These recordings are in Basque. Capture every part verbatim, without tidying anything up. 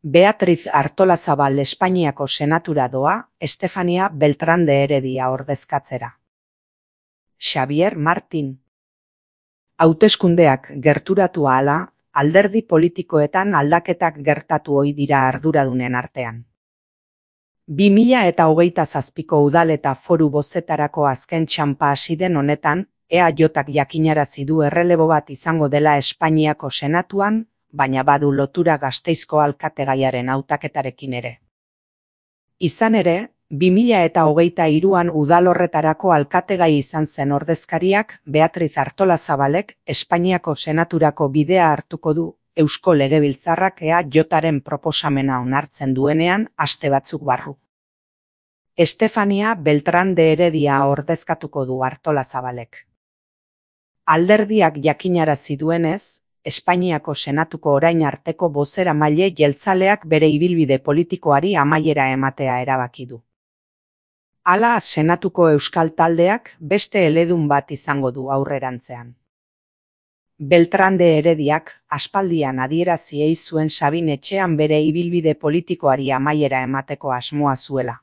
Beatriz Artolazabal Espainiako senatura doa Estefania Beltrán de Heredia ordezkatzera. Xavier Martín. Hauteskundeak gerturatu ahala, alderdi politikoetan aldaketak gertatu ohi dira arduradunen artean. bi mila eta hogeita zazpiko udal eta foru bozetarako azken txanpa hasi den honetan, E A Jk jakinarazi du errelebo bat izango dela Espainiako senatuan, baina badu lotura Gasteizko alkategaiaren hautaketarekin ere. Izan ere, bi mila eta hogeita hiruan udal horretarako alkategai izan zen ordezkariak Beatriz Artolazabalek Espainiako senaturako bidea hartuko du Eusko Legebiltzarrak E A Jren proposamena onartzen duenean aste batzuk barru. Estefania Beltrán de Heredia ordezkatuko du Artolazabalek. Alderdiak jakinarazi duenez, Espainiako senatuko orain arteko bozeramaile jeltzaleak bere ibilbide politikoari amaiera ematea erabaki du. Hala, senatuko euskal taldeak beste eledun bat izango du aurrerantzean. Beltrán de Herediak aspaldian adierazi ei zuen Sabin etxean bere ibilbide politikoari amaiera emateko asmoa zuela.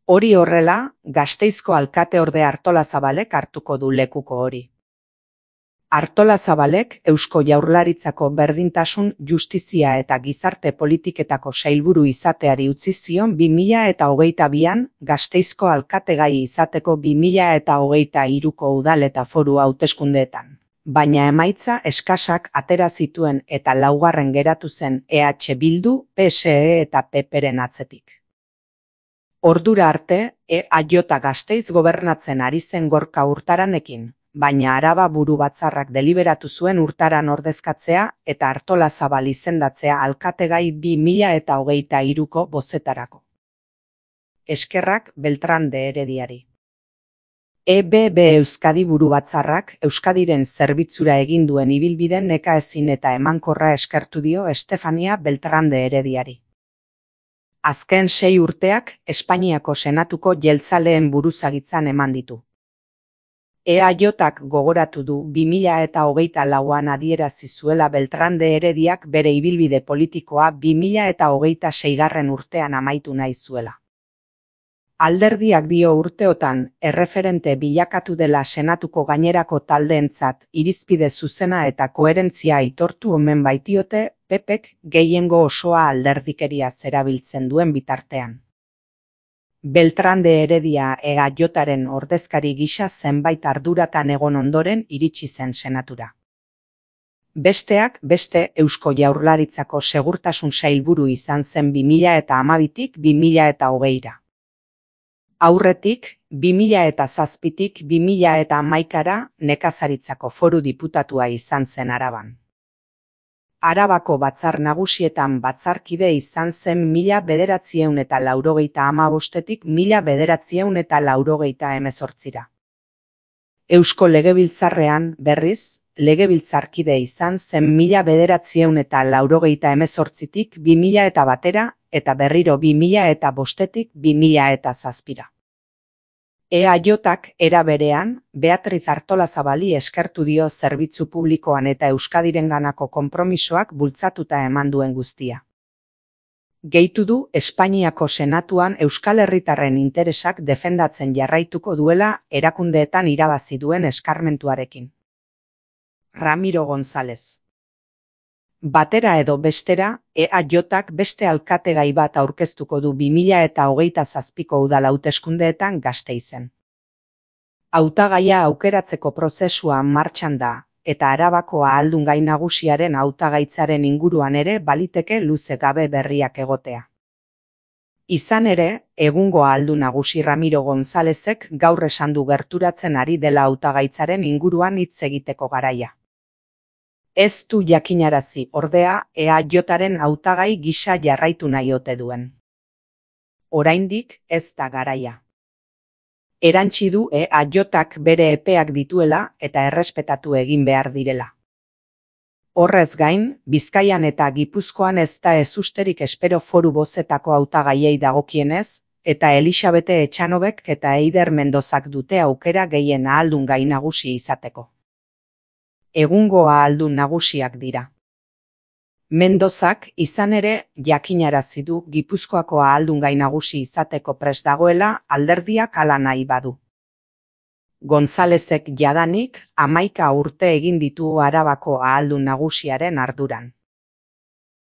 Hori horrela, Gasteizko alkateorde Artolazabalek hartuko du lekuko hori. Artolazabalek Eusko Jaurlaritzako berdintasun, justizia eta gizarte politiketako sailburu izateari utzi zion bi mila eta hogeita bian Gasteizko alkategai izateko bi mila eta hogeita hiruko udal eta foru hauteskundeetan. Baina emaitza eskasak atera zituen eta laugarren geratu zen E H Bildu, P S E eta P Pren atzetik. Ordura arte, E A J Gasteiz gobernatzen ari zen Gorka Urtaranekin, baina Araba buru batzarrak deliberatu zuen Urtaran ordezkatzea eta Artolazabal izendatzea alkategai bi mila eta hogeita hiruko bozetarako. Eskerrak Beltrán de Herediari. E B B Euskadi buru batzarrak Euskadiren zerbitzura egin duen ibilbiden nekaezin eta emankorra eskertu dio Estefania Beltrán de Herediari. Azken sei urteak Espainiako senatuko jeltzaleen buruzagitzan eman ditu. E A Jk gogoratu du bi mila eta hogeita lauan adierazi zuela Beltrán de Herediak bere ibilbide politikoa bi mila eta hogeita seigarren urtean amaitu nahi zuela. Alderdiak dio urteotan erreferente bilakatu dela senatuko gainerako taldeentzat irizpide zuzena eta koherentzia aitortu omen baitiote P Pek gehiengo osoa alderdikeria zerabiltzen duen bitartean. Beltrán de Heredia E A Jren ordezkari gisa zenbait arduratan egon ondoren iritsi zen senatura. Besteak beste Eusko Jaurlaritzako segurtasun sailburu izan zen bi mila eta hamabitik bi mila eta hogeira. Aurretik, bi mila eta zazpitik bi mila eta hamaikara nekazaritzako foru diputatua izan zen Araban. Arabako batzar nagusietan batzarkide izan zen mila bederatziehun eta laurogeita hamabostetik mila bederatziehun eta laurogeita hemezortzira. Eusko Legebiltzarrean, berriz, legebiltzarkide izan zen mila bederatziehun eta laurogeita hemezortzitik bi mila eta batera eta berriro bi mila eta bostetik bi mila eta zazpira. E A Jk era berean, Beatriz Artolazabali eskertu dio zerbitzu publikoan eta Euskadirenganako konpromisoak bultzatuta eman duen guztia. Gehitu du Espainiako senatuan Euskal Herritarren interesak defendatzen jarraituko duela erakundeetan irabazi duen eskarmentuarekin. Ramiro González. Batera edo bestera, E A Jk beste alkategai bat aurkeztuko du bi mila eta hogeita zazpiko udal hauteskundeetan Gasteizen. Hautagaia aukeratzeko prozesua martxan da, eta Arabako ahaldungai nagusiaren hautagaitzaren inguruan ere baliteke luze gabe berriak egotea. Izan ere, egungo ahaldun nagusi Ramiro Gonzálezek gaur esan du gerturatzen ari dela hautagaitzaren inguruan hitz egiteko garaia. Ez du jakinarazi, ordea, E A Jren hautagai gisa jarraitu nahi ote duen. Oraindik ez da garaia. Erantsi du E A Jk bere epeak dituela eta errespetatu egin behar direla. Horrez gain, Bizkaian eta Gipuzkoan ez da ezusterik espero foru bozetako hautagaiei dagokienez, eta Elisabete Etxanobek eta Eider Mendozak dute aukera gehien ahaldungai nagusi izateko. Egungo ahaldun nagusiak dira. Mendozak izan ere jakinarazi du Gipuzkoako ahaldungai nagusi izateko prest dagoela alderdiak hala nahi badu. Gonzalezek jadanik hamaika urte egin ditu Arabako ahaldun nagusiaren arduran.